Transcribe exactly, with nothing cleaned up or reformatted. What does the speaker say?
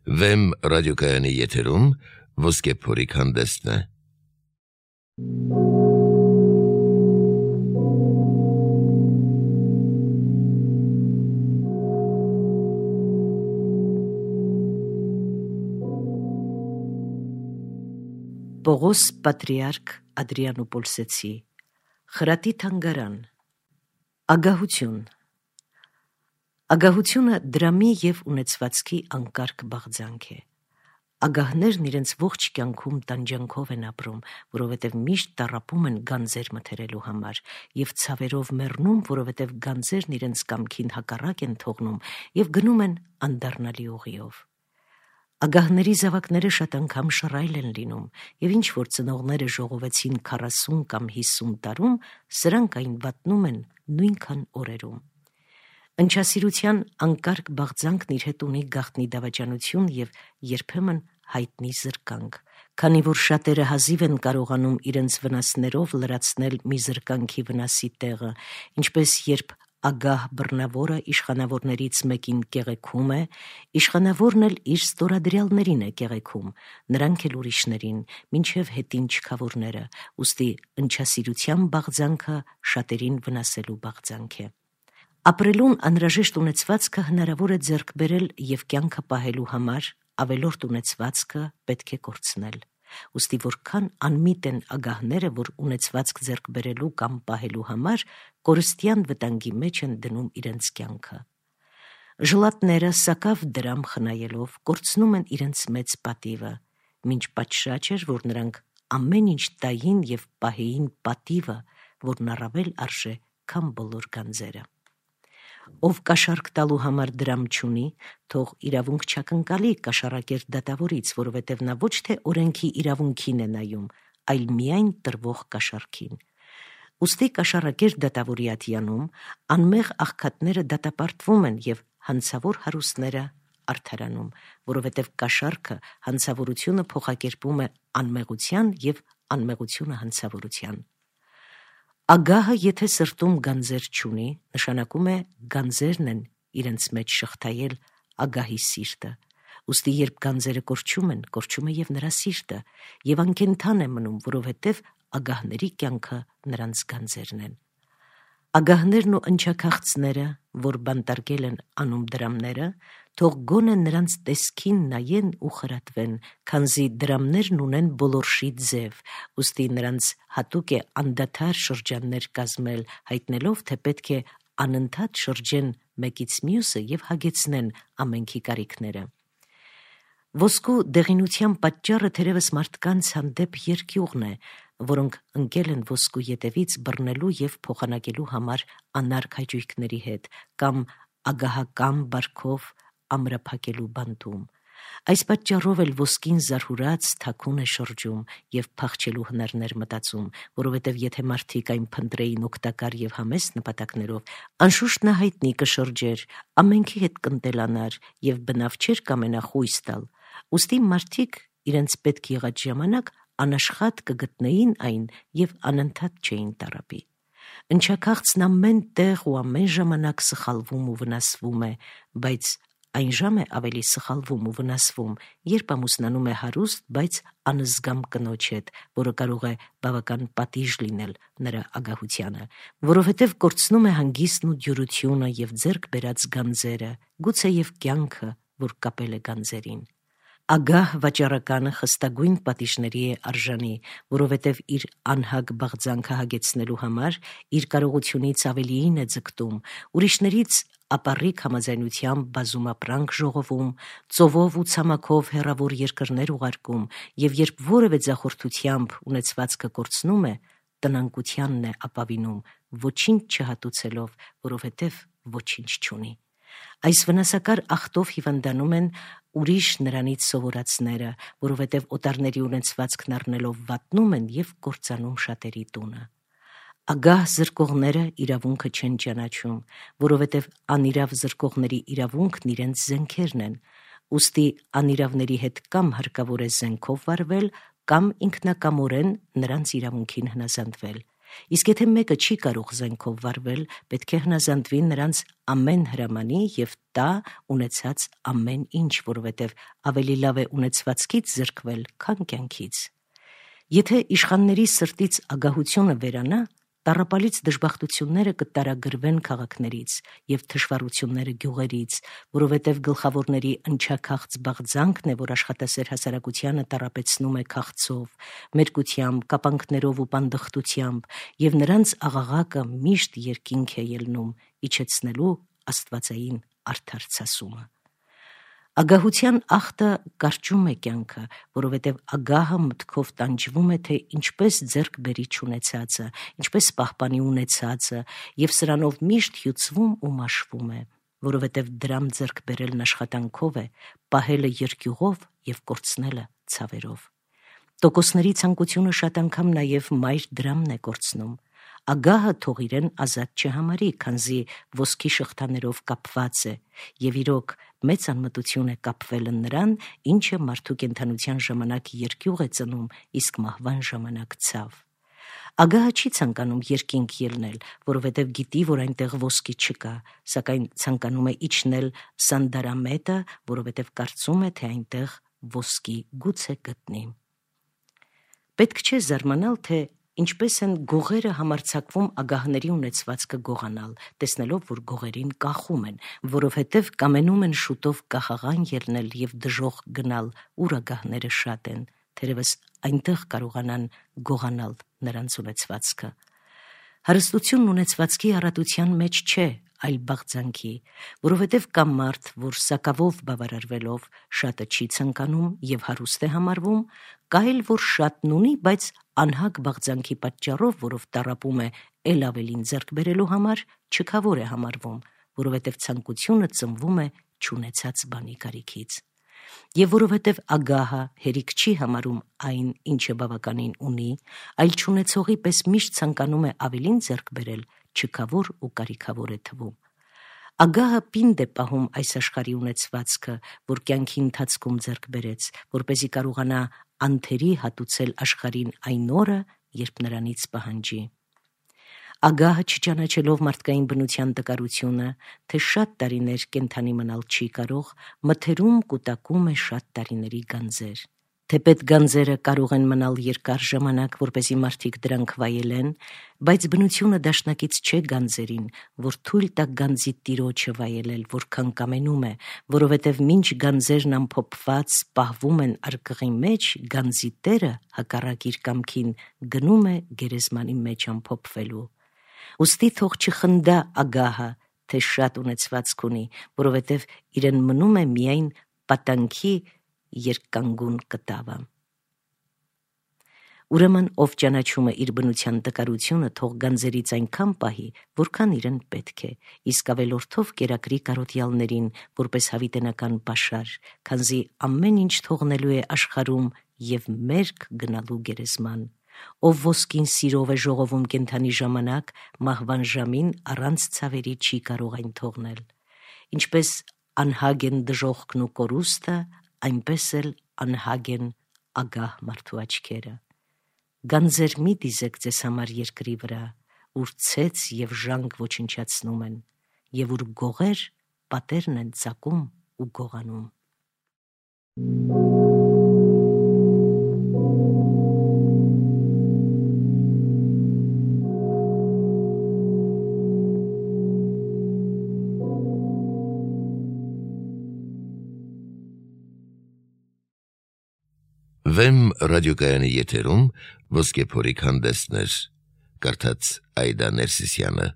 Վեմ ռադիոկայանի եթերում ոսկե փորիկ հանդեսն է։ Պողոս Պատրիարք Ադրիանոպոլսեցի Խրատի թանգարան Ագահություն Ագահությունը դրամի և ունեցվածքի անկարգ բաղձանք է։ Ագահներն իրենց ողջ կյանքում տանջանքով են ապրում, որովհետև միշտ տառապում են գանձեր մթերելու համար և ցավերով մեռնում, որովհետև գանձերն իրենց կամքին հակառակ են թողնում և գնում են անդառնալի ուղիով։ Ագահների զավակները շատ անգամ շռայլ են լինում, և ինչ որ ծնողները ժողովեցին քառասուն կամ հիսուն տարում, սրանք այն վատնում են նույնքան օրերում։ Ընչասիրության անկարգ բաղձանքն իր հետ ունի գաղտնի դավաճանություն և երբեմն հայտնի զրկանք, քանի որ շատերը հազիվ են կարողանում իրենց վնասներով լրացնել մի զրկանքի վնասի տեղը, ինչպես երբ ագահ բռնավորը իշխանավորներից մեկին կեղեքում է, իշխանավորն էլ իր ստորադրյալներին է կեղեքում, նրանք էլ ուրիշներին, մինչև հետին չքավորները, ուստի ընչասիրության բաղձանքը շատերին վնասելու բաղձանք է։ Ապրելուն անհրաժեշտ ունեցվածքը հնարավոր է ձեռք բերել և կյանքը պահելու համար ավելորդ ունեցվածքը պետք է կորցնել։ Ուստի որքան անմիտ են ագահները, որ ունեցվածք ձեռք բերելու կամ պահելու համար կորստյան վտանգի մեջ են դնում իրենց կյանքը։ Ժլատները սակավ դրամ խնայելով կորցնում են իրենց մեծ պատիվը, մինչ պատշաճ էր, որ նրանք ամեն ինչ տային և պահեին պատիվը, որն առավել արժե, քան բոլոր գանձերը։ Ով կաշառք տալու համար դրամ չունի, թող իրավունք չակնկալի կաշառակեր դատավորից, որովհետև նա ոչ թե օրենքի իրավունքին է նայում, այլ միայն տրվող կաշառքին։ Ուստի կաշառակեր դատավորի ատյանում անմեղ աղքատները դատապարտվում են և հանցավոր հարուստները արդարանում, որովհետև կաշառքը հանցավորությունը փոխակերպում է անմեղության և անմեղությունը հանցավորության։ Ագահը եթե սրտում գանձեր չունի, նշանակում է գանձերն են իրենց մեջ շղթայել ագահի սիրտը, ուստի երբ գանձերը կորչում են, կորչում է և նրա սիրտը, և անկենդան է մնում, որովհետև ագահների կյանքը նրանց գանձերն են։ Ագահներն ու ընչաքաղցները, որ բանտարկել են անում դրամները, թող գոնե նրանց տեսքին նայեն ու խրատվեն, քանզի դրամներն ունեն բոլորշի ձև, ուստի նրանց հատուկ է անդադար շրջաններ կազմել, հայտնելով, թե պետք է անընդհատ շրջեն մեկից մյուսը և հագեցնեն ամենքի կարիքները։ Ոսկու դեղինության պատճառը թերևս մարդկանց հանդեպ երկյուղն է, որոնք ընկել են ոսկու ետևից բռնելու և փոխանակելու համար անարգ հաճույքների հետ, կամ ագահական բարքով ամրափակելու բանտում։ Այս պատճառով էլ ոսկին զարհուրած թաքուն է շրջում և փախչելու հնարներ մտածում, որովհետև եթե մարդիկ այն փնտրեին օգտակար և համեստ նպատակներով, անշուշտ նա հայտնի կշրջեր, ամենքի հետ կընտելանար և բնավ չէր կամենա խույս տալ, ուստի մարդիկ իրենց պետք եղած ժամանակ անաշխատ կգտնեին այն և անընդհատ չէին տառապի։ Ընչաքաղցն ամեն տեղ ու ամեն ժամանակ սխալվում ու վնասվում է, բայց այն ժամ է ավելի սխալվում ու վնասվում, երբ ամուսնանում է հարուստ, բայց անզգամ կնոջ հետ, որը կարող է բավական պատիժ լինել նրա ագահությանը, որովհետև կորցնում է հանգիստն ու դյուրությունը և ձեռք բերած գանձերը, գուցե և կյանքը, որ կապել է գանձերին։ Ագահ վաճառականը խստագույն պատիժների է արժանի, որովհետև իր անհագ բաղձանքը հագեցնելու համար իր կարողությունից ավելիին է ձգտում, ուրիշներից ապառիկ համաձայնությամբ բազումապրանք ժողովում, ծովով ու ցամաքով հեռավոր երկրներ ուղարկում, և երբ որևէ ձախորդությամբ ունեցվածքը կորցնում է, տնանկությանն է ապավինում, ոչինչ չհատուցելով, որովհետև ոչինչ չունի։ Այս վնասակար ախտով հիվանդանում են ուրիշ նրանից սովորածները, որովհետև օտարների ունեցվածքն առնելով վատնում են և կործանում շատերի տունը։ Ագահ զրկողները իրավունքը չեն ճանաչում, որովհետև անիրավ զրկողների իրավունքն իրենց զենքերն են, ուստի անիրավների հետ կամ հարկավոր է զենքով վարվել, կամ ինքնակամորեն նրանց իրավունքին հնազանդվել։ Իսկ եթե մեկը չի կարող զենքով վարվել, պետք է հնազանդվի նրանց ամեն հրամանի եւ տա ունեցած ամեն ինչ, որովհետեւ ավելի լավ է ունեցվածքից զրկվել, քան կյանքից։ Եթե իշխանների սրտից ագահությունը վերանա, տառապալից դժբախտությունները կտարագրվեն քաղաքներից եւ թշվառությունները գյուղերից, որովհետեւ գլխավորների ընչաքաղց բաղձանքն է, որ աշխատասեր հասարակությանը տառապեցնում է քաղցով, մերկությամբ, կապանքներով ու պանդխտությամբ, եւ նրանց աղաղակը միշտ երկինք է ելնում, իջեցնելու աստվածային արդարցասումը։ Ագահության ախտը կարճում է կյանքը, որովհետև ագահը մտքով տանջվում է, թե ինչպես ձեռք բերի չունեցածը, ինչպես պահպանի ունեցածը, եւ սրանով միշտ հյուծվում ու մաշվում է, որովհետև դրամ ձեռք բերելն աշխատանքով է, պահելը երկյուղով եւ կորցնելը ցավերով։ Տոկոսների ցանկությունը շատ անգամ նաեւ մայր դրամն է կորցնում։ Ագահը թող իրեն ազատ չհամարի, քանզի ոսկի շղթաներով կապված է, եւ իրոք մեծ անմտություն է կապվելը նրան, ինչը մարդու կենդանության ժամանակ երկյուղ է ծնում, իսկ մահվան ժամանակ ցավ։ Ագահը չի ցանկանում երկինք ելնել, որովհետև գիտի, որ այնտեղ ոսկի չկա, սակայն ցանկանում է իջնել Սանդարամետը, որովհետև կարծում է, թե այնտեղ ոսկի գուցե գտնի։ Պետք չէ զարմանալ, թե ինչպես են գողերը համարձակվում ագահների ունեցվածքը գողանալ, տեսնելով, որ գողերին կախում են, որովհետև կամենում են շուտով կախաղան ելնել եւ դժոխք գնալ, ուր ագահները շատ են, թերևս այնտեղ կարողանան գողանալ նրանց ունեցվածքը։ Հարստությունն ունեցվածքի առատության մեջ չէ, այլ բաղձանքի, որովհետև կա մարդ, որ սակավով բավարարվելով շատը չի ցանկանում եւ հարուստ է համարվում, կա էլ որ շատն ունի, բայց անհագ բաղձանքի պատճառով, որով տառապում է ել ավելին ձեռք բերելու համար, չքավոր է համարվում, որովհետև ցանկությունը ծնվում է չունեցած բանի կարիքից։ Եվ որովհետև ագահը հերիք չի համարում այն, ինչը բավականին ունի, այլ չունեցողի պես միշտ ցանկանում է ավելին ձեռք բերել, չքավոր ու կարիքավոր է թվում։ Ագահը պինդ է պահում այս աշխարհի ունեցվածքը, որ կյանքի ընթացքում ձեռք բերեց, որպեսզի կարողանա անթերի հատուցել աշխարհին այն օրը, երբ նրանից պահանջի։ Ագահը չճանաչելով մարդկային բնության տկարությունը, թե շատ տարիներ կենդանի մնալ չի կարող, մթերում կուտակում է շատ տարիների գանձեր։ Թեպետ գանձերը կարող են մնալ երկար ժամանակ, որպեսզի մարդիկ դրանք վայելեն, բայց բնությունը դաշնակից չէ գանձերին, որ թույլ տա գանձի տիրոջը վայելել, որքան կամենում է, որովհետև մինչ գանձերն ամփոփված պահվում են արկղի մեջ, գանձի տերը հակառակ իր կամքին գնում է գերեզմանի մեջ ամփոփվելու։ Ուստի թող չխնդա ագահը, թե շատ ունեցվածք ունի, որովհետև իրեն մնում է միայն պատանքի երկկանգուն կտավը։ Ուրեմն ով ճանաչում է իր բնության տկարությունը, թող գանձերից այնքան պահի, որքան իրեն պետք է, իսկ ավելորդով կերակրի կարոտյալներին, որպես հավիտենական պաշար, քանզի ամեն ինչ թողնելու է աշխարհում եւ մերկ գնալու գերեզման։ Ով ոսկին սիրով է ժողովում կենդանի ժամանակ, մահվան ժամին առանց ցավերի չի կարող այն թողնել։ Ինչպես անհագ են դժոխքն ու կորուստը, այնպես էլ անհագ են ագահ մարդու աչքերը։ Գանձեր մի դիզեք ձեզ համար երկրի վրա, ուր ցեց եւ ժանգ ոչնչացնում են, եւ ուր գողեր պատերն են ծակում ու գողանում։ Վեմ ռադիոկայանի եթերում ոսկե փորիկ հանդեսներ, կարդաց Այդա Ներսիսյանը։